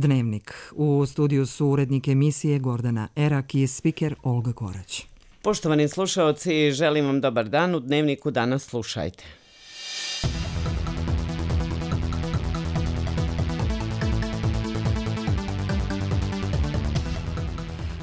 Dnevnik. U studiju su urednik emisije Gordana Erak i spiker Olga Korać. Poštovani slušaoci, želim vam dobar dan. U Dnevniku danas slušajte.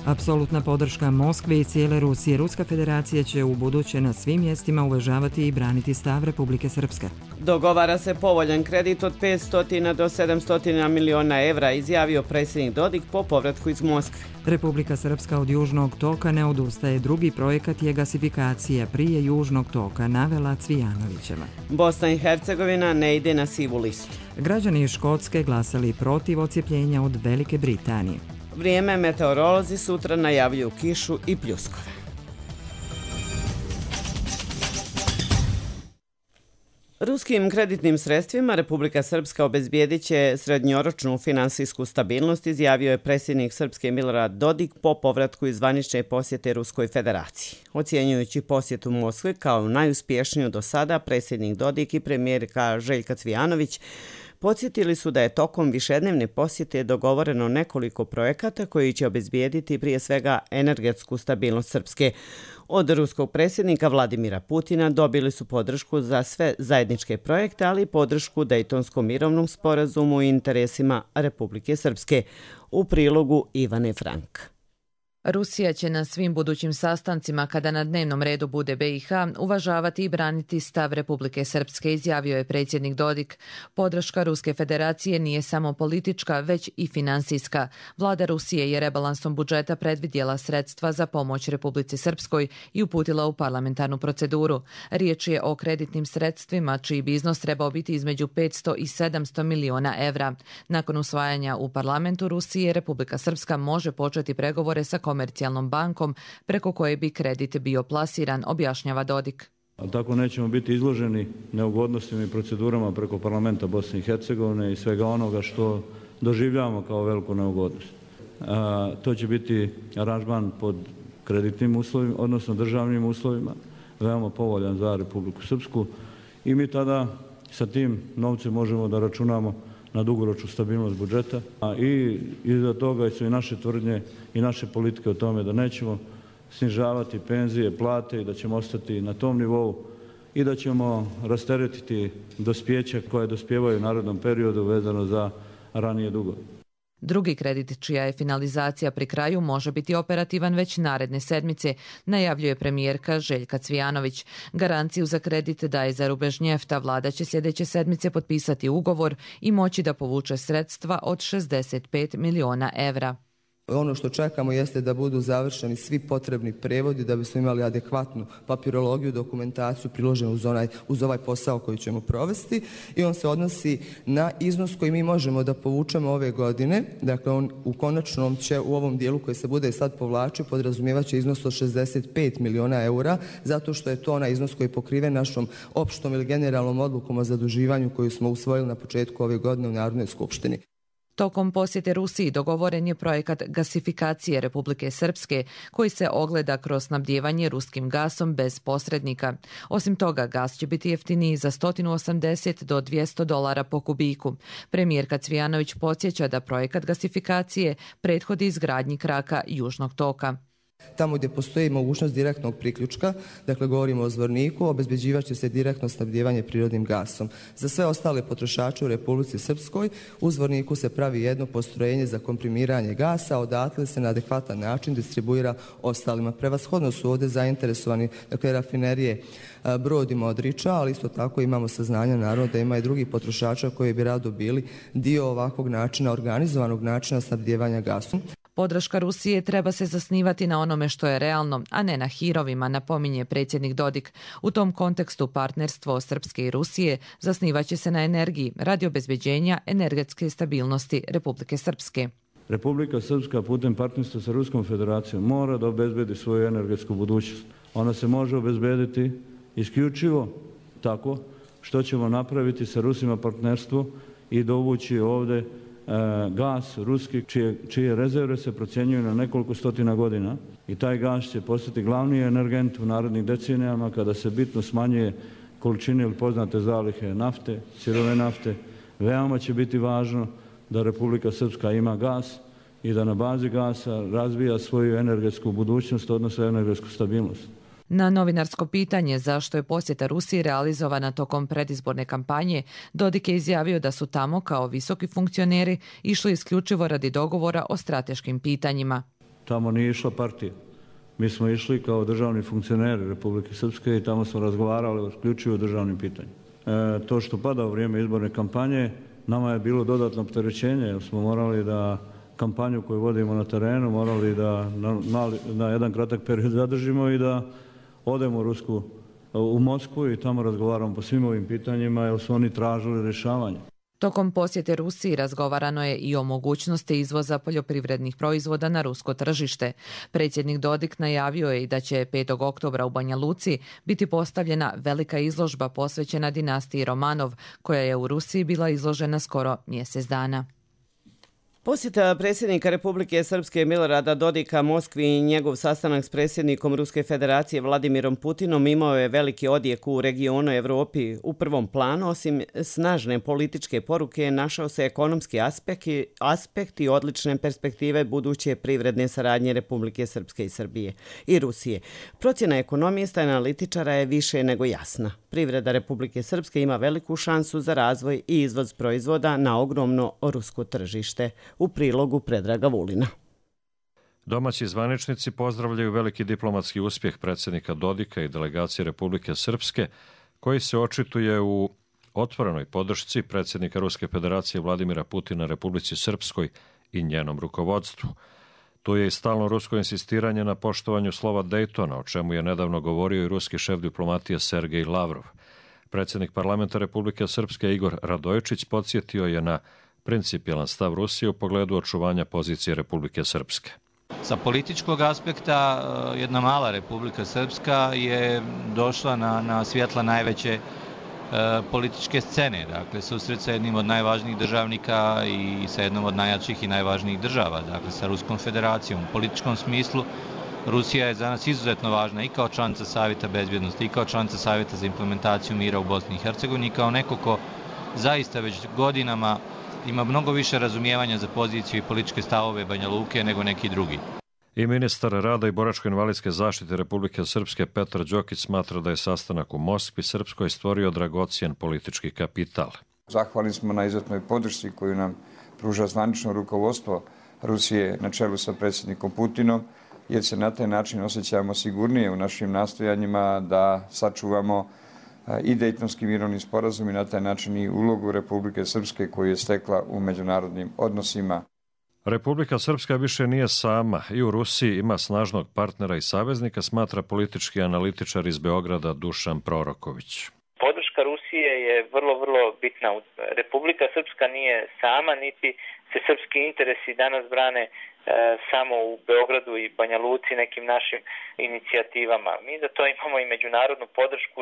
Apsolutna podrška Moskve i cijele Rusije. Ruska federacija će u buduće na svim mjestima uvažavati i braniti stav Republike Srpske. Dogovara se povoljan kredit od 500 do 700 miliona evra, izjavio predsjednik Dodik po povratku iz Moskve. Republika Srpska od Južnog toka ne odustaje. Drugi projekat je gasifikacija prije Južnog toka, navela Cvijanovićeva. Bosna i Hercegovina ne ide na sivu listu. Građani iz Škotske glasali protiv odcjepljenja od Velike Britanije. Vrijeme, meteorolozi sutra najavljuju kišu i pljuskove. Ruskim kreditnim sredstvima Republika Srpska obezbijedit će srednjoročnu finansijsku stabilnost, izjavio je predsjednik Srpske Milorad Dodik po povratku iz zvanične posjete Ruskoj federaciji. Ocjenjujući posjetu Moskve kao najuspješniju do sada, predsjednik Dodik i premijerka Željka Cvijanović podsjetili su da je tokom višednevne posjete dogovoreno nekoliko projekata koji će obezbijediti prije svega energetsku stabilnost Srpske. Od ruskog predsjednika Vladimira Putina dobili su podršku za sve zajedničke projekte, ali i podršku Dejtonskom mirovnom sporazumu i interesima Republike Srpske. U prilogu Ivane Frank. Rusija će na svim budućim sastancima, kada na dnevnom redu bude BiH, uvažavati i braniti stav Republike Srpske, izjavio je predsjednik Dodik. Podrška Ruske federacije nije samo politička, već i finansijska. Vlada Rusije je rebalansom budžeta predvidjela sredstva za pomoć Republici Srpskoj i uputila u parlamentarnu proceduru. Riječ je o kreditnim sredstvima, čiji bi iznos trebao biti između 500 i 700 miliona evra. Nakon usvajanja u parlamentu Rusije, Republika Srpska može početi pregovore sa komercijalnom bankom preko koje bi kredit bio plasiran, objašnjava Dodik. Tako nećemo biti izloženi neugodnostima i procedurama preko parlamenta Bosne i Hercegovine i svega onoga što doživljavamo kao veliku neugodnost. To će biti aranžman pod kreditnim uslovima, odnosno državnim uslovima, veoma povoljan za Republiku Srpsku i mi tada sa tim novcem možemo da računamo na dugoročnu stabilnost budžeta, a i iza toga su i naše tvrdnje i naše politike o tome da nećemo snižavati penzije, plate i da ćemo ostati na tom nivou i da ćemo rasteretiti dospjeća koje dospijevaju u narednom periodu vezano za ranije dugove. Drugi kredit, čija je finalizacija pri kraju, može biti operativan već naredne sedmice, najavljuje premijerka Željka Cvijanović. Garanciju za kredit daje za rubež njefta. Vlada će sljedeće sedmice potpisati ugovor i moći da povuče sredstva od 65 miliona evra. Ono što čekamo jeste da budu završeni svi potrebni prevodi da bismo imali adekvatnu papirologiju, dokumentaciju priloženu uz ovaj posao koji ćemo provesti i on se odnosi na iznos koji mi možemo da povučemo ove godine. Dakle, on u konačnom će u ovom dijelu koji se bude sad povlačio podrazumijevaće iznos od 65 miliona eura, zato što je to onaj iznos koji je pokriven našom opštom ili generalnom odlukom o zaduživanju koju smo usvojili na početku ove godine u Narodnoj skupštini. Tokom posjete Rusiji dogovoren je projekat gasifikacije Republike Srpske, koji se ogleda kroz snabdijevanje ruskim gasom bez posrednika. Osim toga, gas će biti jeftiniji za 180 do 200 dolara po kubiku. Premijerka Cvijanović podsjeća da projekat gasifikacije prethodi izgradnji kraka Južnog toka. Tamo gdje postoji mogućnost direktnog priključka, dakle govorimo o Zvorniku, obezbeđivat će se direktno snabdijevanje prirodnim gasom. Za sve ostale potrošače u Republici Srpskoj u Zvorniku se pravi jedno postrojenje za komprimiranje gasa, odatle se na adekvatan način distribuira ostalima. Prevashodno su ovdje zainteresovani, dakle, rafinerije Brod i Modriča, ali isto tako imamo saznanja naravno da ima i drugih potrošača koji bi rado bili dio ovakvog načina, organizovanog načina snabdijevanja gasom. Podrška Rusije treba se zasnivati na onome što je realno, a ne na hirovima, napominje predsjednik Dodik. U tom kontekstu partnerstvo Srpske i Rusije zasnivaće se na energiji radi obezbeđenja energetske stabilnosti Republike Srpske. Republika Srpska putem partnerstva sa Ruskom federacijom mora da obezbedi svoju energetsku budućnost. Ona se može obezbediti isključivo tako što ćemo napraviti sa Rusima partnerstvo i dovući ovdje gas ruski čije rezerve se procjenjuju na nekoliko stotina godina i taj gas će postati glavni energent u narednim decenijama kada se bitno smanjuje količine ili poznate zalihe nafte, sirove nafte. Veoma će biti važno da Republika Srpska ima gas i da na bazi gasa razvija svoju energetsku budućnost, odnosno energetsku stabilnost. Na novinarsko pitanje zašto je posjeta Rusiji realizovana tokom predizborne kampanje, Dodik je izjavio da su tamo kao visoki funkcioneri išli isključivo radi dogovora o strateškim pitanjima. Tamo nije išla partija. Mi smo išli kao državni funkcioneri Republike Srpske i tamo smo razgovarali isključivo o državnim pitanjima. To što pada u vrijeme izborne kampanje nama je bilo dodatno opterećenje jer smo morali da kampanju koju vodimo na terenu morali da na jedan kratak period zadržimo i da odemo u Moskvu i tamo razgovaramo po svim ovim pitanjima jer su oni tražili rješavanje. Tokom posjete Rusiji razgovarano je i o mogućnosti izvoza poljoprivrednih proizvoda na rusko tržište. Predsjednik Dodik najavio je i da će 5. oktobra u Banja Luci biti postavljena velika izložba posvećena dinastiji Romanov, koja je u Rusiji bila izložena skoro mjesec dana. Posjeta predsjednika Republike Srpske Milorada Dodika Moskvi i njegov sastanak s predsjednikom Ruske federacije Vladimirom Putinom imao je veliki odjek u regionu Evropi. U prvom planu, osim snažne političke poruke, našao se ekonomski aspekt i odlične perspektive buduće privredne saradnje Republike Srpske i Srbije i Rusije. Procjena ekonomista i analitičara je više nego jasna. Privreda Republike Srpske ima veliku šansu za razvoj i izvoz proizvoda na ogromno rusko tržište. U prilogu Predraga Vulina. Domaći zvaničnici pozdravljaju veliki diplomatski uspjeh predsjednika Dodika i delegacije Republike Srpske, koji se očituje u otvorenoj podršci predsjednika Ruske federacije Vladimira Putina Republici Srpskoj i njenom rukovodstvu. Tu je i stalno rusko insistiranje na poštovanju slova Dejtona, o čemu je nedavno govorio i ruski šef diplomatije Sergej Lavrov. Predsjednik parlamenta Republike Srpske Igor Radojičić podsjetio je na principijelan stav Rusije u pogledu očuvanja pozicije Republike Srpske. Sa političkog aspekta jedna mala Republika Srpska je došla na svjetla najveće političke scene, dakle susret sa jednim od najvažnijih državnika i sa jednom od najjačih i najvažnijih država, dakle sa Ruskom federacijom. U političkom smislu Rusija je za nas izuzetno važna i kao članica Savjeta bezbjednosti i kao članica Savjeta za implementaciju mira u Bosni i Hercegovini i kao neko ko zaista već godinama ima mnogo više razumijevanja za poziciju i političke stavove Banja Luke nego neki drugi. I ministar rada i boračko-invalidske zaštite Republike Srpske Petar Đokić smatra da je sastanak u Moskvi Srpskoj stvorio dragocjen politički kapital. Zahvalni smo na izuzetnoj podršci koju nam pruža zvanično rukovodstvo Rusije na čelu sa predsjednikom Putinom, jer se na taj način osjećamo sigurnije u našim nastojanjima da sačuvamo i Dejtonski mirovni sporazum i na taj način i ulogu Republike Srpske koju je stekla u međunarodnim odnosima. Republika Srpska više nije sama i u Rusiji ima snažnog partnera i saveznika, smatra politički analitičar iz Beograda Dušan Proroković. Podrška Rusije je vrlo bitna. Republika Srpska nije sama, niti se srpski interesi danas brane samo u Beogradu i Banja Luci nekim našim inicijativama. Mi za to imamo i međunarodnu podršku.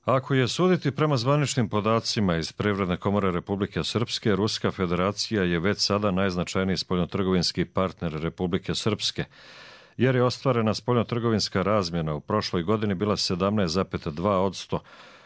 Ako je suditi prema zvaničnim podacima iz Privredne komore Republike Srpske, Ruska federacija je već sada najznačajniji spoljnotrgovinski partner Republike Srpske, jer je ostvarena spoljnotrgovinska razmjena u prošloj godini bila 17,2%,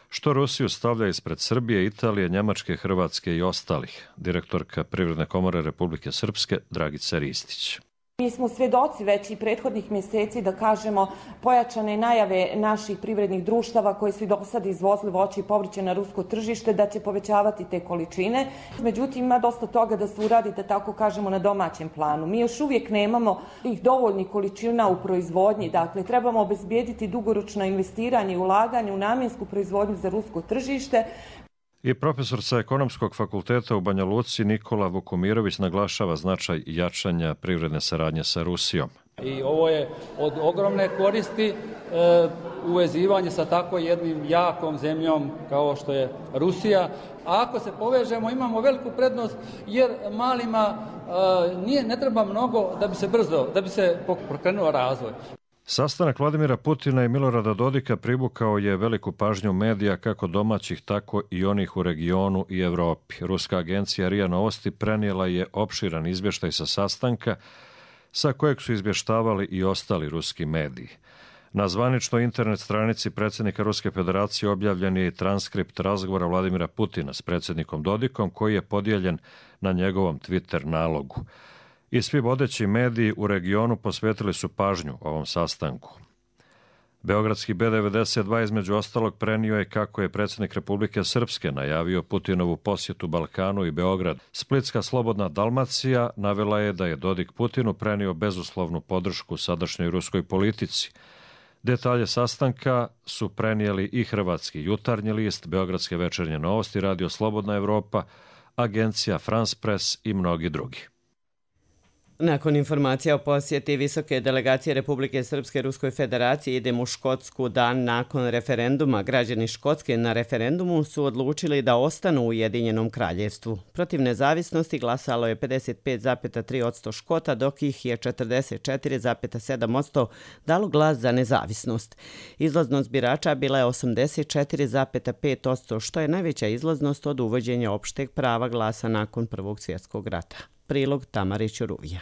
što Rusiju stavlja ispred Srbije, Italije, Njemačke, Hrvatske i ostalih. Direktorka Privredne komore Republike Srpske Dragica Ristić. Mi smo svjedoci već i prethodnih mjeseci, da kažemo, pojačane najave naših privrednih društava koji su i do sad izvozili voće i povrće na rusko tržište, da će povećavati te količine. Međutim, ima dosta toga da se uradi, da tako kažemo, na domaćem planu. Mi još uvijek nemamo tih dovoljnih količina u proizvodnji, dakle trebamo obezbijediti dugoročno investiranje i ulaganje u namjensku proizvodnju za rusko tržište. I profesor sa Ekonomskog fakulteta u Banja Luci Nikola Vukomirović naglašava značaj jačanja privredne saradnje sa Rusijom. I ovo je od ogromne koristi uvezivanje sa tako jednim jakom zemljom kao što je Rusija. A ako se povežemo, imamo veliku prednost jer malima ne treba mnogo da bi se pokrenuo razvoj. Sastanak Vladimira Putina i Milorada Dodika privukao je veliku pažnju medija kako domaćih, tako i onih u regionu i Evropi. Ruska agencija RIA Novosti prenijela je opširan izvještaj sa sastanka sa kojeg su izvještavali i ostali ruski mediji. Na zvaničnoj internet stranici predsjednika Ruske federacije objavljen je transkript razgovora Vladimira Putina s predsjednikom Dodikom koji je podijeljen na njegovom Twitter nalogu. I svi vodeći mediji u regionu posvetili su pažnju ovom sastanku. Beogradski B92 između ostalog prenio je kako je predsjednik Republike Srpske najavio Putinovu posjetu Balkanu i Beograd. Splitska Slobodna Dalmacija navela je da je Dodik Putinu prenio bezuslovnu podršku sadašnjoj ruskoj politici. Detalje sastanka su prenijeli i hrvatski Jutarnji list, Beogradske večernje novosti, Radio Slobodna Evropa, agencija France Press i mnogi drugi. Nakon informacija o posjeti visoke delegacije Republike Srpske Ruskoj federaciji idemo u Škotsku dan nakon referenduma. Građani Škotske na referendumu su odlučili da ostanu u Ujedinjenom kraljevstvu. Protiv nezavisnosti glasalo je 55,3% Škota, dok ih je 44,7% dalo glas za nezavisnost. Izlaznost birača bila je 84,5%, što je najveća izlaznost od uvođenja opšteg prava glasa nakon Prvog svjetskog rata. Prilog Tamare Ćuruvija.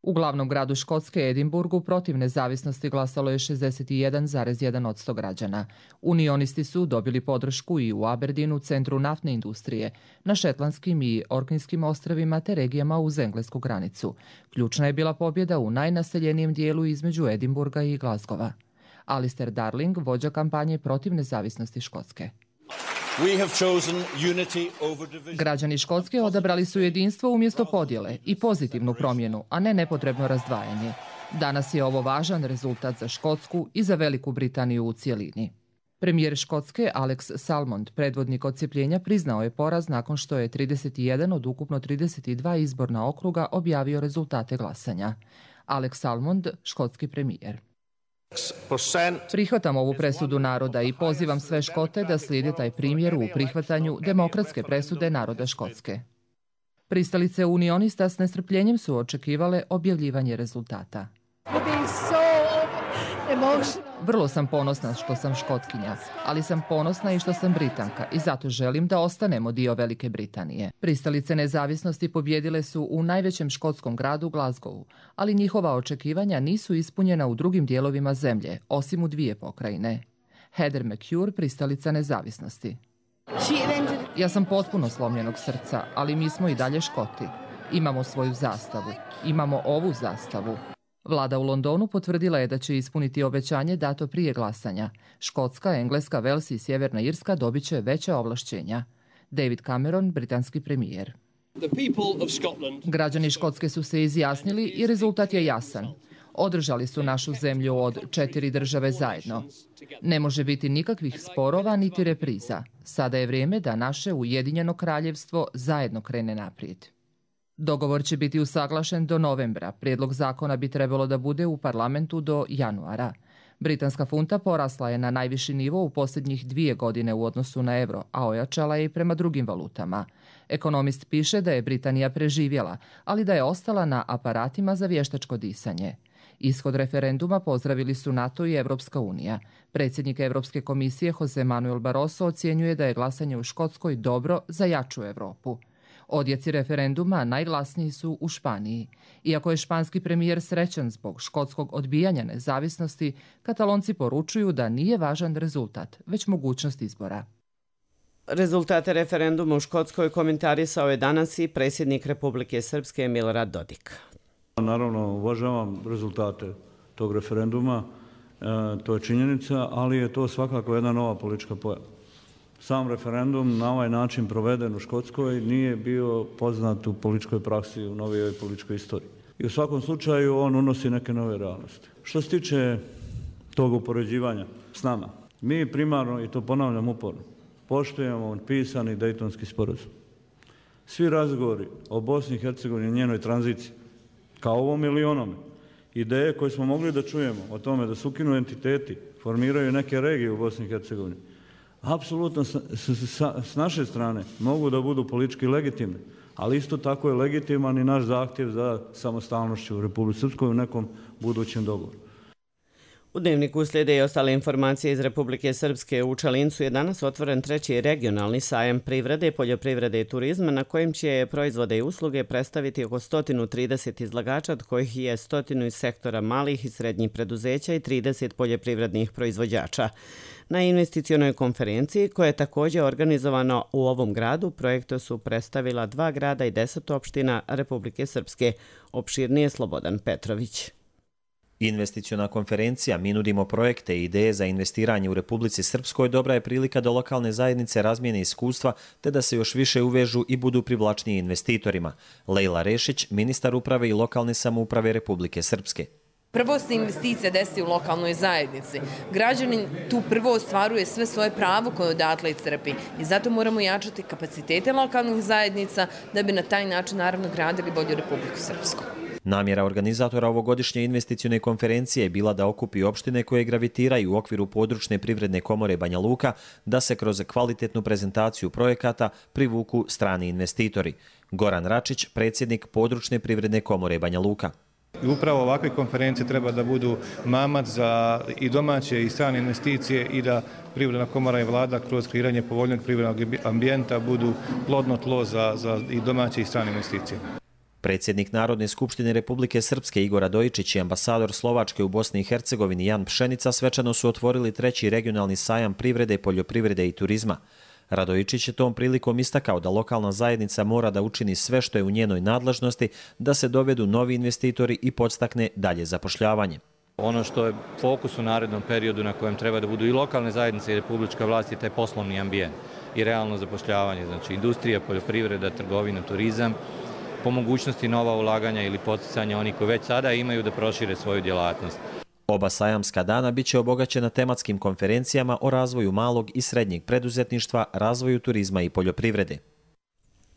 U glavnom gradu Škotske, Edinburgu, protiv nezavisnosti glasalo je 61,1% građana. Unionisti su dobili podršku i u Aberdeenu, centru naftne industrije, na Šetlandskim i Orknijskim ostrvima te regijama uz englesku granicu. Ključna je bila pobjeda u najnaseljenijem dijelu između Edinburga i Glasgowa. Alistair Darling, vođa kampanje protiv nezavisnosti Škotske. Građani Škotske odabrali su jedinstvo umjesto podjele i pozitivnu promjenu, a ne nepotrebno razdvajanje. Danas je ovo važan rezultat za Škotsku i za Veliku Britaniju u cijelini. Premijer Škotske Alex Salmond, predvodnik odcjepljenja, priznao je poraz nakon što je 31 od ukupno 32 izborna okruga objavio rezultate glasanja. Alex Salmond, škotski premijer. Prihvatam ovu presudu naroda i pozivam sve Škote da slijede taj primjer u prihvatanju demokratske presude naroda Škotske. Pristalice unionista s nestrpljenjem su očekivale objavljivanje rezultata. Vrlo sam ponosna što sam Škotkinja, ali sam ponosna i što sam Britanka i zato želim da ostanemo dio Velike Britanije. Pristalice nezavisnosti pobjedile su u najvećem škotskom gradu Glasgowu, ali njihova očekivanja nisu ispunjena u drugim dijelovima zemlje, osim u 2 pokrajine. Heather McCure, pristalica nezavisnosti. Ja sam potpuno slomljenog srca, ali mi smo i dalje Škoti. Imamo svoju zastavu. Imamo ovu zastavu. Vlada u Londonu potvrdila je da će ispuniti obećanje dato prije glasanja. Škotska, Engleska, Vels i Sjeverna Irska dobit će veća ovlašćenja. David Cameron, britanski premijer. Građani Škotske su se izjasnili i rezultat je jasan. Održali su našu zemlju od 4 države zajedno. Ne može biti nikakvih sporova niti repriza. Sada je vrijeme da naše Ujedinjeno kraljevstvo zajedno krene naprijed. Dogovor će biti usaglašen do novembra. Prijedlog zakona bi trebalo da bude u parlamentu do januara. Britanska funta porasla je na najviši nivo u posljednjih 2 godine u odnosu na euro, a ojačala je i prema drugim valutama. Ekonomist piše da je Britanija preživjela, ali da je ostala na aparatima za vještačko disanje. Ishod referenduma pozdravili su NATO i Evropska unija. Predsjednik Europske komisije Jose Manuel Barroso ocjenjuje da je glasanje u Škotskoj dobro za jaču Europu. Odjeci referenduma najglasniji su u Španiji. Iako je španski premijer srećan zbog škotskog odbijanja nezavisnosti, Katalonci poručuju da nije važan rezultat, već mogućnost izbora. Rezultate referenduma u Škotskoj komentarisao je danas i predsjednik Republike Srpske Milorad Dodik. Naravno, uvažavam rezultate tog referenduma, to je činjenica, ali je to svakako jedna nova politička pojava. Sam referendum na ovaj način proveden u Škotskoj nije bio poznat u političkoj praksi, u novijoj političkoj istoriji. I u svakom slučaju on unosi neke nove realnosti. Što se tiče tog upoređivanja s nama, mi primarno, i to ponavljam uporno, poštujemo pisani Dejtonski sporazum. Svi razgovori o Bosni i Hercegovini i njenoj tranziciji, kao ovom ili onome, ideje koje smo mogli da čujemo o tome da se ukinu entiteti, formiraju neke regije u Bosni i Hercegovini, apsolutno s naše strane mogu da budu politički legitimni, ali isto tako je legitiman i naš zahtjev za samostalnošću u Republici Srpskoj u nekom budućem dogovoru. U Dnevniku slijede i ostale informacije iz Republike Srpske. U Čalincu je danas otvoren 3. regionalni sajam privrede, poljoprivrede i turizma na kojem će proizvode i usluge predstaviti oko 130 izlagača, od kojih je 100 iz sektora malih i srednjih preduzeća i 30 poljoprivrednih proizvođača. Na investicionoj konferenciji, koja je također organizovana u ovom gradu, projekto su predstavila 2 grada i 10 opština Republike Srpske. Opširnije Slobodan Petrović. Investiciona konferencija Mi nudimo projekte i ideje za investiranje u Republici Srpskoj dobra je prilika da lokalne zajednice razmijene iskustva te da se još više uvežu i budu privlačniji investitorima. Lejla Rešić, ministar uprave i lokalne samouprave Republike Srpske. Prvo se investicija desi u lokalnoj zajednici. Građanin tu prvo ostvaruje sve svoje pravo koje odatle i crpi i zato moramo jačati kapacitete lokalnih zajednica da bi na taj način naravno gradili bolju Republiku Srpsku. Namjera organizatora ovogodišnje investicione konferencije je bila da okupi opštine koje gravitiraju u okviru područne privredne komore Banja Luka da se kroz kvalitetnu prezentaciju projekata privuku strani investitori. Goran Račić, predsjednik područne privredne komore Banja Luka. I upravo ovakve konferencije treba da budu mamac za i domaće i strane investicije i da Privredna komora i vlada kroz kreiranje povoljnog privrednog ambijenta budu plodno tlo za i domaće i strane investicije. Predsjednik Narodne skupštine Republike Srpske Igor Radojičić i ambasador Slovačke u Bosni i Hercegovini Jan Pšenica svečano su otvorili 3. regionalni sajam privrede, poljoprivrede i turizma. Radojičić je tom prilikom istakao da lokalna zajednica mora da učini sve što je u njenoj nadležnosti da se dovedu novi investitori i podstakne dalje zapošljavanje. Ono što je fokus u narednom periodu na kojem treba da budu i lokalne zajednice i republička vlast je taj poslovni ambijent i realno zapošljavanje, znači industrija, poljoprivreda, trgovina, turizam, po mogućnosti nova ulaganja ili podsticanja onih koji već sada imaju da prošire svoju djelatnost. Oba sajamska dana biće obogaćena tematskim konferencijama o razvoju malog i srednjeg preduzetništva, razvoju turizma i poljoprivrede.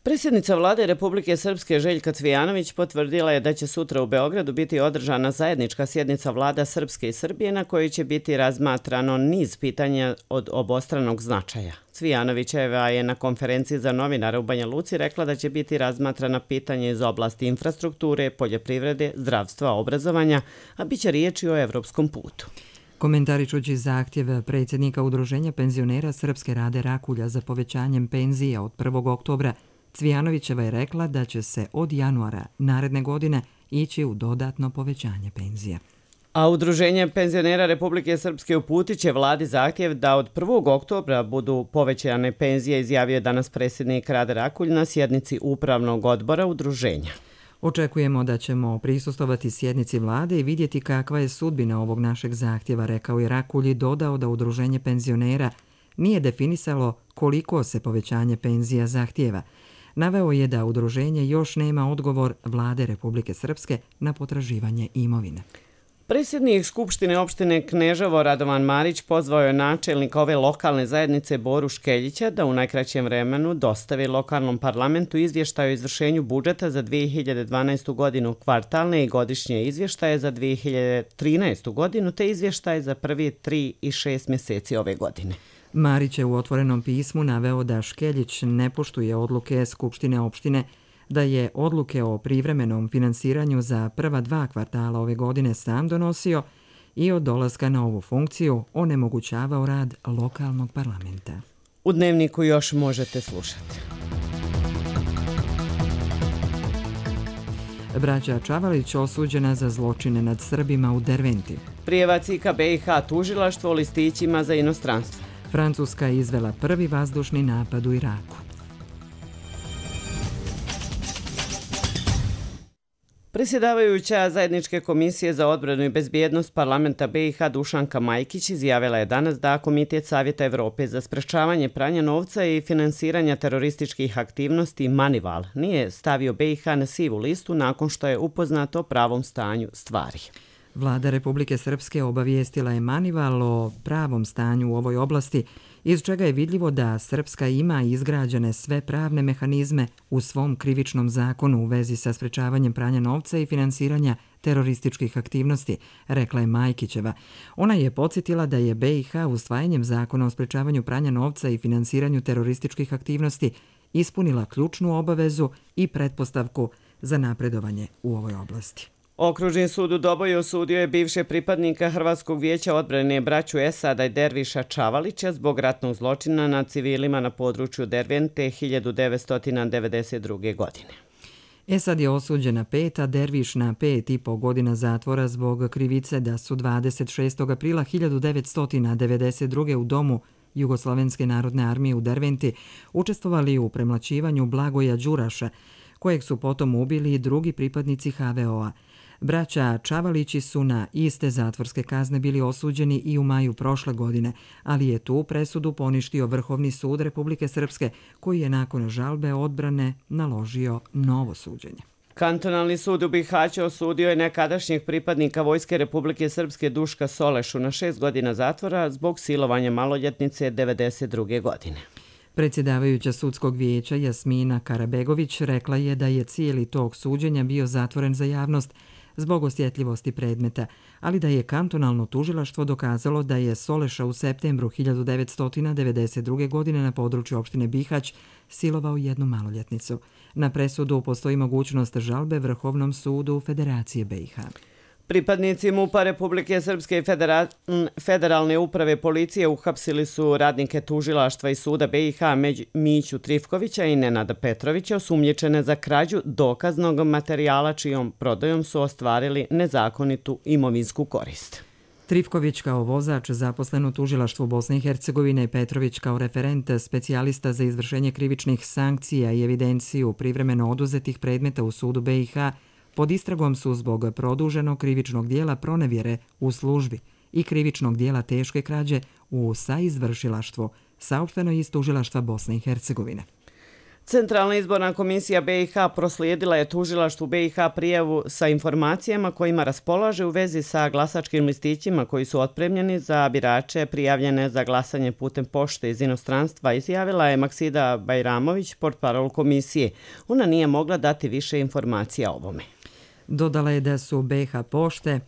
Predsjednica vlade Republike Srpske Željka Cvijanović potvrdila je da će sutra u Beogradu biti održana zajednička sjednica vlada Srpske i Srbije na kojoj će biti razmatrano niz pitanja od obostranog značaja. Cvijanovićeva je na konferenciji za novinare u Banja Luci rekla da će biti razmatrana pitanja iz oblasti infrastrukture, poljoprivrede, zdravstva, obrazovanja, a bit će riječi o evropskom putu. Komentaričući zahtjev predsjednika Udruženja penzionera Srpske Rade Rakulja za povećanjem penzija od 1. oktobra, Cvijanovićeva je rekla da će se od januara naredne godine ići u dodatno povećanje penzija. A Udruženje penzionera Republike Srpske uputit će vladi zahtjev da od 1. oktobra budu povećane penzije, izjavio je danas predsjednik Rade Rakulj na sjednici upravnog odbora udruženja. Očekujemo da ćemo prisustvovati sjednici vlade i vidjeti kakva je sudbina ovog našeg zahtjeva, rekao je Rakulj i dodao da Udruženje penzionera nije definisalo koliko se povećanje penzija zahtjeva. Naveo je da udruženje još nema odgovor vlade Republike Srpske na potraživanje imovine. Predsjednik Skupštine opštine Kneževo Radovan Marić pozvao je načelnika ove lokalne zajednice Boru Škeljića da u najkraćem vremenu dostavi lokalnom parlamentu izvještaj o izvršenju budžeta za 2012. godinu, kvartalne i godišnje izvještaje za 2013. godinu te izvještaje za prvi 3 i 6 mjeseci ove godine. Marić je u otvorenom pismu naveo da Škeljić ne poštuje odluke Skupštine opštine, da je odluke o privremenom finansiranju za prva 2 kvartala ove godine sam donosio i od dolaska na ovu funkciju onemogućavao rad lokalnog parlamenta. U Dnevniku još možete slušati. Braća Čavalić osuđena za zločine nad Srbima u Derventi. Prijava CIK BiH tužilaštvo o listićima za inostranstvo. Francuska je izvela prvi vazdušni napad u Iraku. Predsjedavajuća Zajedničke komisije za odbranu i bezbjednost parlamenta BiH Dušanka Majkić izjavila je danas da Komitet Savjeta Evrope za sprečavanje pranja novca i finansiranja terorističkih aktivnosti Manival nije stavio BiH na sivu listu nakon što je upoznato o pravom stanju stvari. Vlada Republike Srpske obavijestila je Manival o pravom stanju u ovoj oblasti, iz čega je vidljivo da Srpska ima izgrađene sve pravne mehanizme u svom krivičnom zakonu u vezi sa sprečavanjem pranja novca i finansiranja terorističkih aktivnosti, rekla je Majkićeva. Ona je podsjetila da je BiH usvajanjem zakona o sprečavanju pranja novca i finansiranju terorističkih aktivnosti ispunila ključnu obavezu i pretpostavku za napredovanje u ovoj oblasti. Okružni sud u Doboju osudio je bivše pripadnika Hrvatskog vijeća odbrane braću Esada i Derviša Čavalića zbog ratnog zločina nad civilima na području Dervente 1992. godine. Esad je osuđen na 5, a Derviš na 5,5 godina zatvora zbog krivice da su 26. aprila 1992. u domu Jugoslovenske narodne armije u Derventi učestvovali u premlaćivanju Blagoja Đuraša, kojeg su potom ubili i drugi pripadnici HVO-a. Braća Čavalići su na iste zatvorske kazne bili osuđeni i u maju prošle godine, ali je tu presudu poništio Vrhovni sud Republike Srpske, koji je nakon žalbe odbrane naložio novo suđenje. Kantonalni sud u Bihaću osudio je nekadašnjeg pripadnika Vojske Republike Srpske Duška Solešu na 6 godina zatvora zbog silovanja maloljetnice 1992. godine. Predsjedavajuća sudskog vijeća Jasmina Karabegović rekla je da je cijeli tok suđenja bio zatvoren za javnost zbog osjetljivosti predmeta, ali da je kantonalno tužilaštvo dokazalo da je Soleša u septembru 1992. godine na području opštine Bihać silovao jednu maloljetnicu. Na presudu postoji mogućnost žalbe Vrhovnom sudu Federacije BiH. Pripadnici MUP-a Republike Srpske i Federalne uprave policije uhapsili su radnike tužilaštva i suda BiH Miću Trifkovića i Nenada Petrovića osumnjičene za krađu dokaznog materijala čijom prodajom su ostvarili nezakonitu imovinsku korist. Trifković kao vozač zaposlen u tužilaštvu Bosne i Hercegovine, Petrović kao referent specijalista za izvršenje krivičnih sankcija i evidenciju privremeno oduzetih predmeta u sudu BiH pod istragom su zbog produženog krivičnog dijela pronevjere u službi i krivičnog dijela teške krađe u saizvršilaštvu, saopšteno iz tužilaštva Bosne i Hercegovine. Centralna izborna komisija BiH proslijedila je tužilaštvu BiH prijavu sa informacijama kojima raspolaže u vezi sa glasačkim listićima koji su otpremljeni za birače prijavljene za glasanje putem pošte iz inostranstva, izjavila je Maksida Bajramović, portparol komisije. Ona nije mogla dati više informacija o ovome. Dodala je da su BiH pošte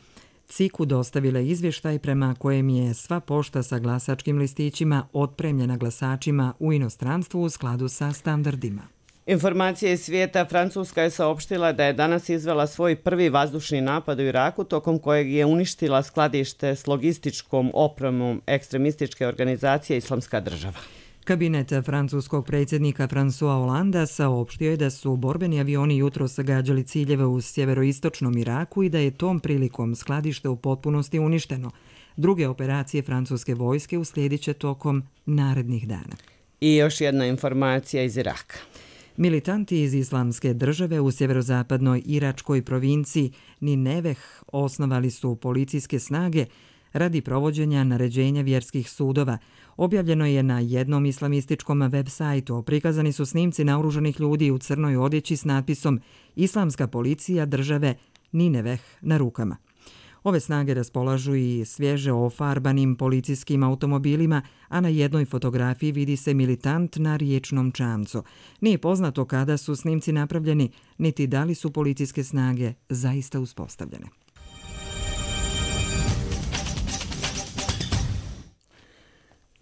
CIK-u dostavile izvještaj prema kojem je sva pošta sa glasačkim listićima otpremljena glasačima u inostranstvu u skladu sa standardima. Informacije iz svijeta. Francuska je saopštila da je danas izvela svoj prvi vazdušni napad u Iraku, tokom kojeg je uništila skladište s logističkom opremom ekstremističke organizacije Islamska država. Kabinet francuskog predsjednika François Hollanda saopštio je da su borbeni avioni jutros gađali ciljeve u sjeveroistočnom Iraku i da je tom prilikom skladište u potpunosti uništeno. Druge operacije francuske vojske uslijedit će tokom narednih dana. I još jedna informacija iz Iraka. Militanti iz Islamske države u sjeverozapadnoj iračkoj provinciji Nineveh osnovali su policijske snage radi provođenja naređenja vjerskih sudova. Objavljeno je na jednom islamističkom web sajtu. Prikazani su snimci naoružanih ljudi u crnoj odjeći s natpisom Islamska policija države Nineveh na rukama. Ove snage raspolažu i svježe ofarbanim policijskim automobilima, a na jednoj fotografiji vidi se militant na riječnom čamcu. Nije poznato kada su snimci napravljeni, niti da li su policijske snage zaista uspostavljene.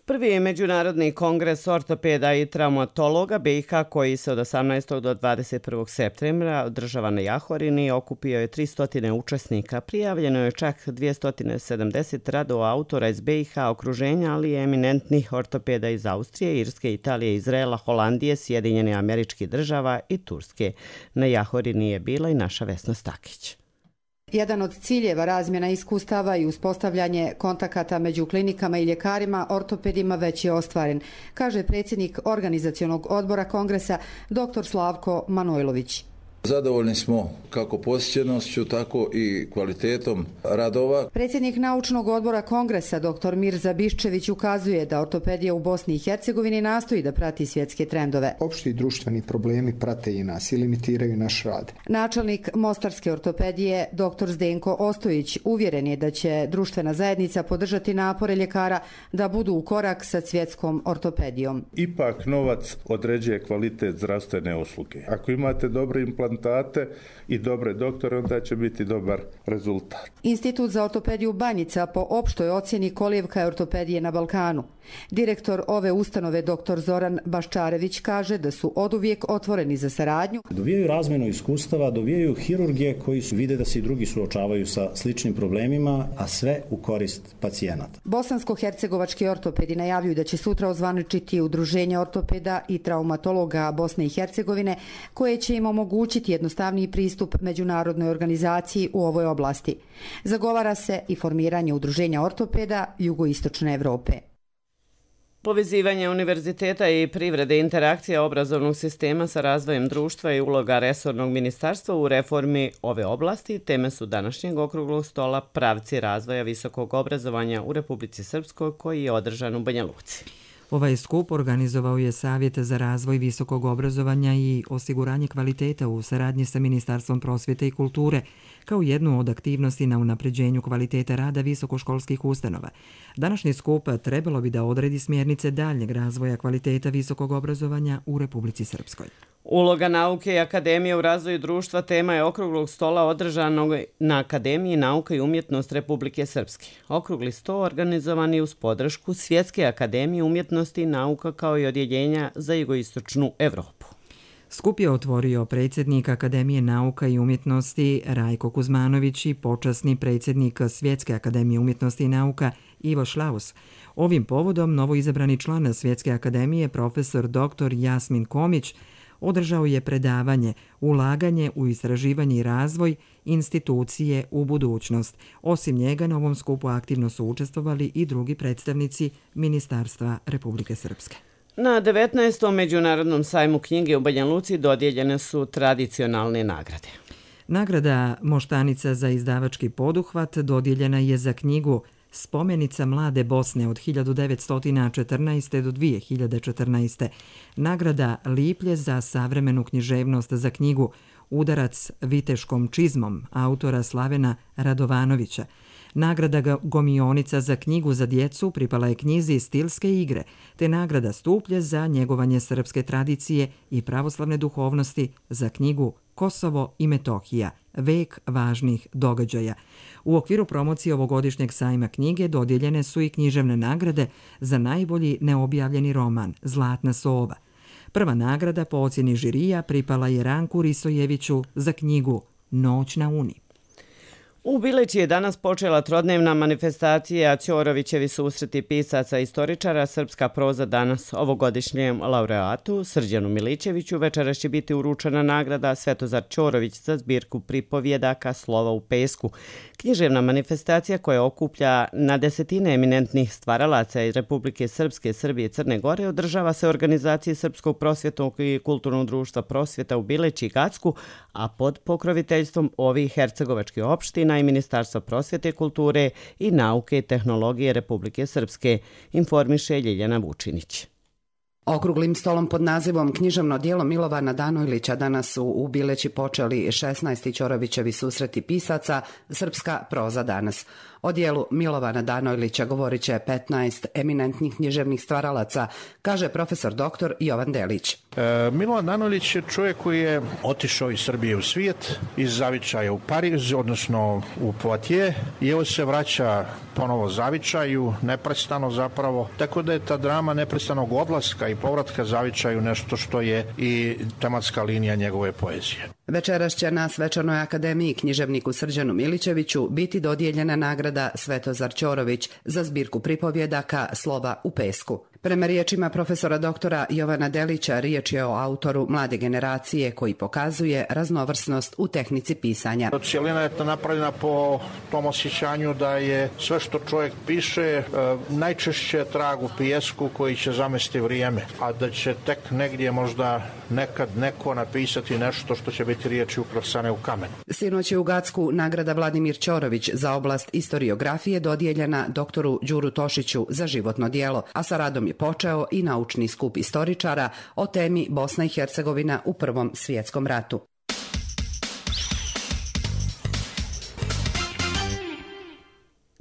Prvi međunarodni kongres ortopeda i traumatologa BiH koji se od 18. do 21. septembra održava na Jahorini okupio je 300 učesnika. Prijavljeno je čak 270 radova autora iz BiH okruženja, ali i eminentnih ortopeda iz Austrije, Irske, Italije, Izraela, Holandije, Sjedinjenih Američkih Država i Turske. Na Jahorini je bila i naša Vesna Stakić. Jedan od ciljeva razmjena iskustava i uspostavljanje kontakata među klinikama i ljekarima, ortopedima već je ostvaren, kaže predsjednik organizacionog odbora kongresa dr. Slavko Manojlović. Zadovoljni smo kako posjećenošću, tako i kvalitetom radova. Predsjednik naučnog odbora kongresa dr. Mirza Biščević ukazuje da ortopedija u Bosni i Hercegovini nastoji da prati svjetske trendove. Opšti društveni problemi prate i nas i limitiraju naš rad. Načelnik mostarske ortopedije dr. Zdenko Ostojić uvjeren je da će društvena zajednica podržati napore ljekara da budu u korak sa svjetskom ortopedijom. Ipak novac određuje kvalitet zdravstvene usluge. Ako imate dobre implantologije, implantate i dobre doktore, onda će biti dobar rezultat. Institut za ortopediju Banjica po opštoj ocjeni kolijevka je ortopedije na Balkanu. Direktor ove ustanove dr. Zoran Baščarević kaže da su oduvijek otvoreni za saradnju. Dovijaju razmjenu iskustava, dovijaju hirurgije koji vide da se i drugi suočavaju sa sličnim problemima, a sve u korist pacijenata. Bosansko-hercegovački ortopedi najavljuju da će sutra ozvaničiti udruženje ortopeda i traumatologa Bosne i Hercegovine, koje će im omogućiti jednostavniji pristup međunarodnoj organizaciji u ovoj oblasti. Zagovara se i formiranje udruženja ortopeda jugoistočne Evrope. Povezivanje univerziteta i privrede, interakcija obrazovnog sistema sa razvojem društva i uloga resornog ministarstva u reformi ove oblasti teme su današnjeg okruglog stola Pravci razvoja visokog obrazovanja u Republici Srpskoj, koji je održan u Banja Luci. Ovaj skup organizovao je Savjet za razvoj visokog obrazovanja i osiguranje kvaliteta u saradnji sa Ministarstvom prosvjete i kulture, kao jednu od aktivnosti na unapređenju kvaliteta rada visokoškolskih ustanova. Današnji skup trebalo bi da odredi smjernice daljnjeg razvoja kvaliteta visokog obrazovanja u Republici Srpskoj. Uloga nauke i akademije u razvoju društva tema je okruglog stola održanog na Akademiji nauka i umjetnost Republike Srpske. Okrugli sto organizovan je uz podršku Svjetske akademije umjetnosti i nauka kao i odjeljenja za jugoistočnu Evropu. Skup je otvorio predsjednik Akademije nauka i umjetnosti Rajko Kuzmanović i počasni predsjednik Svjetske akademije umjetnosti i nauka Ivo Šlaus. Ovim povodom novoizabrani član Svjetske akademije profesor dr. Jasmin Komić održao je predavanje Ulaganje u istraživanje i razvoj institucije u budućnost. Osim njega na ovom skupu aktivno su učestvovali i drugi predstavnici Ministarstva Republike Srpske. Na 19. Međunarodnom sajmu knjige u Banja Luci dodijeljene su tradicionalne nagrade. Nagrada Moštanica za izdavački poduhvat dodijeljena je za knjigu Spomenica mlade Bosne od 1914. do 2014. Nagrada Liplje za savremenu književnost za knjigu Udarac viteškom čizmom autora Slavena Radovanovića. Nagrada Gomionica za knjigu za djecu pripala je knjizi Stilske igre, te nagrada Stuplje za njegovanje srpske tradicije i pravoslavne duhovnosti za knjigu Kosovo i Metohija, vek važnih događaja. U okviru promocije ovogodišnjeg sajma knjige dodijeljene su i književne nagrade za najbolji neobjavljeni roman Zlatna sova. Prva nagrada po ocjeni žirija pripala je Ranku Risojeviću za knjigu Noć na Uni. U Bileći je danas počela trodnevna manifestacija Ćorovićevi susreti pisaca i istoričara Srpska proza danas. Ovogodišnjem laureatu Srđanu Milićeviću večeras će biti uručena nagrada Svetozar Ćorović za zbirku pripovjedaka Slova u pesku. Književna manifestacija koja okuplja na desetine eminentnih stvaralaca iz Republike Srpske, Srbije i Crne Gore održava se organizaciji Srpskog prosvjetnog i kulturnog društva prosvjeta u Bileći i Gacku, a pod pokroviteljstvom ovih hercegovačkih opština i Ministarstva prosvjete, kulture i nauke i tehnologije Republike Srpske, informiše Ljiljana Vučinić. Okruglim stolom pod nazivom Književno djelo Milovana Danojlića danas su u Bileći počeli 16. Ćorovićevi susreti pisaca Srpska proza danas. O dijelu Milovana Danojlića govorit će 15 eminentnih književnih stvaralaca, kaže profesor dr. Jovan Delić. Milovan Danojlić je čovjek koji je otišao iz Srbije u svijet, iz zavičaja u Pariz, odnosno u Poitiers, i evo se vraća ponovo zavičaju, neprestano zapravo, tako da je ta drama neprestanog odlaska i povratka zavičaju nešto što je i tematska linija njegove poezije. Večeras će na Svečanoj akademiji književniku Srđanu Milićeviću biti dodijeljena nagrada Svetozar Ćorović za zbirku pripovjedaka Slova u pesku. Prema riječima profesora doktora Jovana Delića, riječ je o autoru mlade generacije koji pokazuje raznovrsnost u tehnici pisanja. Cijelina je napravljena po tom osjećanju da je sve što čovjek piše najčešće trag u pijesku koji će zamesti vrijeme, a da će tek negdje možda nekad neko napisati nešto što će biti riječi ukrosane u kamen. Sinoć je u Gacku nagrada Vladimir Ćorović za oblast historiografije dodijeljena doktoru Đuru Tošiću za životno djelo, a sa radom je počeo i naučni skup istoričara o temi Bosna i Hercegovina u Prvom svjetskom ratu.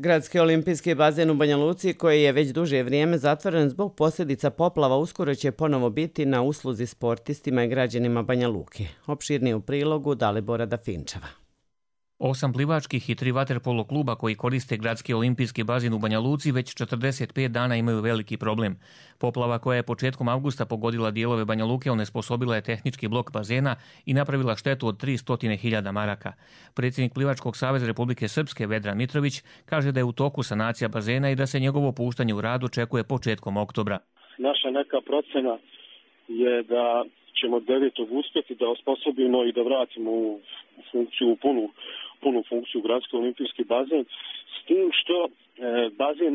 Gradski olimpijski bazen u Banja Luci, koji je već duže vrijeme zatvoren zbog posljedica poplava, uskoro će ponovo biti na usluzi sportistima i građanima Banja Luke. Opširnije u prilogu Dalibora Dafinčeva. 8 plivačkih i 3 vaterpolo kluba koji koriste Gradski olimpijski bazen u Banja Luci već 45 dana imaju veliki problem. Poplava koja je početkom avgusta pogodila dijelove Banja Luke onesposobila je tehnički blok bazena i napravila štetu od 300.000 maraka. Predsjednik Plivačkog saveza Republike Srpske Vedran Mitrović kaže da je u toku sanacija bazena i da se njegovo puštanje u rad očekuje početkom oktobra. Naša neka procena je da ćemo 9. uspjeti da osposobimo i da vratimo u funkciju, punu funkciju Gradski olimpijski bazen, s tim što bazen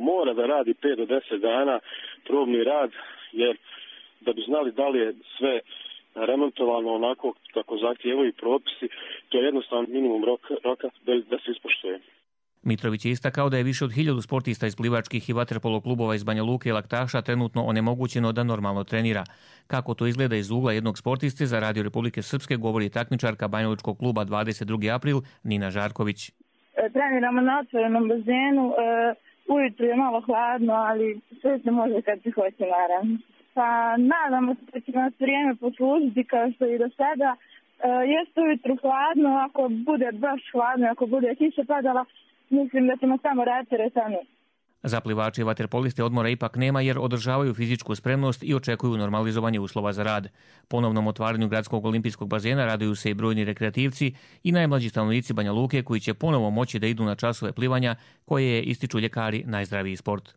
mora da radi 5 do 10 dana probni rad, jer da bi znali da li je sve remontovano onako kako zahtijevaju propisi, to je jednostavno minimum roka da se ispoštuje. Mitrović je istakao da je više od 1000 sportista iz plivačkih i vaterpolo klubova iz Banja Luke i Laktaša trenutno onemogućeno da normalno trenira. Kako to izgleda iz ugla jednog sportiste, za Radio Republike Srpske govori takmičarka Banjalučkog kluba 22. april Nina Žarković. Treniramo na otvorenom bazenu, ujutru je malo hladno, ali sve se može kad se hoće, naravno. Pa nadamo se da će nas vrijeme poslužiti kao što i do sada. Jeste ujutru hladno, ako bude baš hladno, ako bude kiša padala, mislim da ćemo samo raditi teretanu. Za plivače i vaterpoliste odmora ipak nema jer održavaju fizičku spremnost i očekuju normalizovanje uslova za rad. Ponovnom otvaranju Gradskog olimpijskog bazena raduju se i brojni rekreativci i najmlađi stanovnici Banja Luke koji će ponovo moći da idu na časove plivanja koje je, ističu ljekari, najzdraviji sport.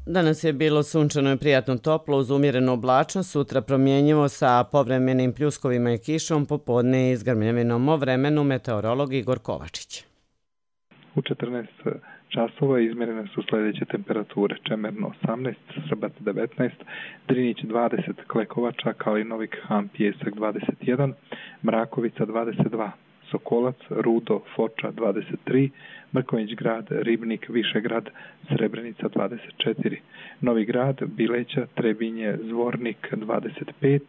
Danas je bilo sunčano i prijatno toplo uz umjerenu oblačnost, sutra promjenjivo sa povremenim pljuskovima i kišom, popodne i s grmljavinom. O vremenu meteorolog Igor Kovačić. U 14 časova izmjerene su sljedeće temperature: Čemerno 18, Srbac 19, Drinić 20, Klekovača, Kalinovik, Han, Pijesak 21, Mrakovica 22, Sokolac, Rudo, Foča 23, Mrkonjić grad, Ribnik, Višegrad, Srebrenica 24, Novi grad, Bileća, Trebinje, Zvornik 25,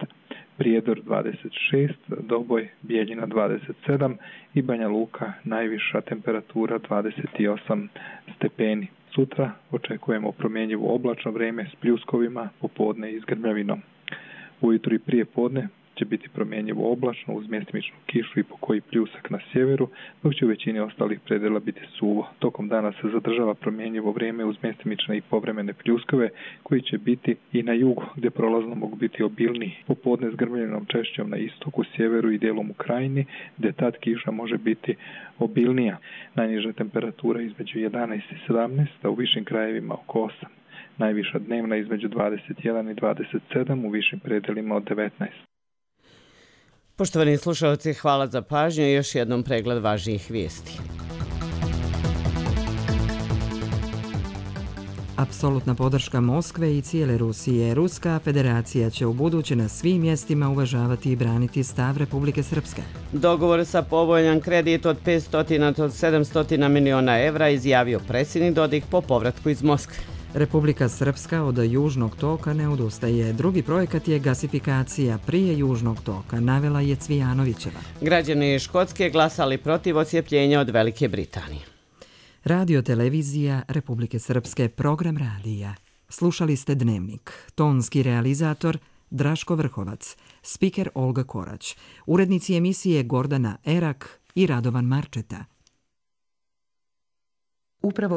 Prijedor 26, Doboj, Bijeljina 27 i Banja Luka najviša temperatura 28 stepeni. Sutra očekujemo promjenjivo oblačno vrijeme s pljuskovima, popodne i s grmljavinom. Ujutro i prije podne će biti promjenjivo oblačno uz mjestimičnu kišu i pokoji pljusak na sjeveru, dok će u većini ostalih predjela biti suvo. Tokom dana se zadržava promjenjivo vrijeme uz mjestimične i povremene pljuskove koji će biti i na jugu gdje prolazno mogu biti obilniji. Popodne s grmljenom češćom na istoku, sjeveru i dijelom u krajini gdje tad kiša može biti obilnija. Najniža temperatura između 11 i 17, a u višim krajevima oko 8. Najviša dnevna između 21 i 27, u višim predjelima od 19. Poštovani slušalci, hvala za pažnju i još jednom pregled važnijih vijesti. Apsolutna podrška Moskve i cijele Rusije. Ruska federacija će ubuduće na svim mjestima uvažavati i braniti stav Republike Srpske. Dogovor sa povoljan kredit od 500 do 700 miliona evra izjavio predsjednik Dodik po povratku iz Moskve. Republika Srpska od Južnog toka ne odustaje. Drugi projekat je gasifikacija prije Južnog toka, navela je Cvijanovićeva. Građani Škotske glasali protiv odcijepljenja od Velike Britanije. Radio televizija Republike Srpske, program radija. Slušali ste Dnevnik. Tonski realizator Draško Vrhovac, spiker Olga Korać, urednici emisije Gordana Erak i Radovan Marčeta. Upravo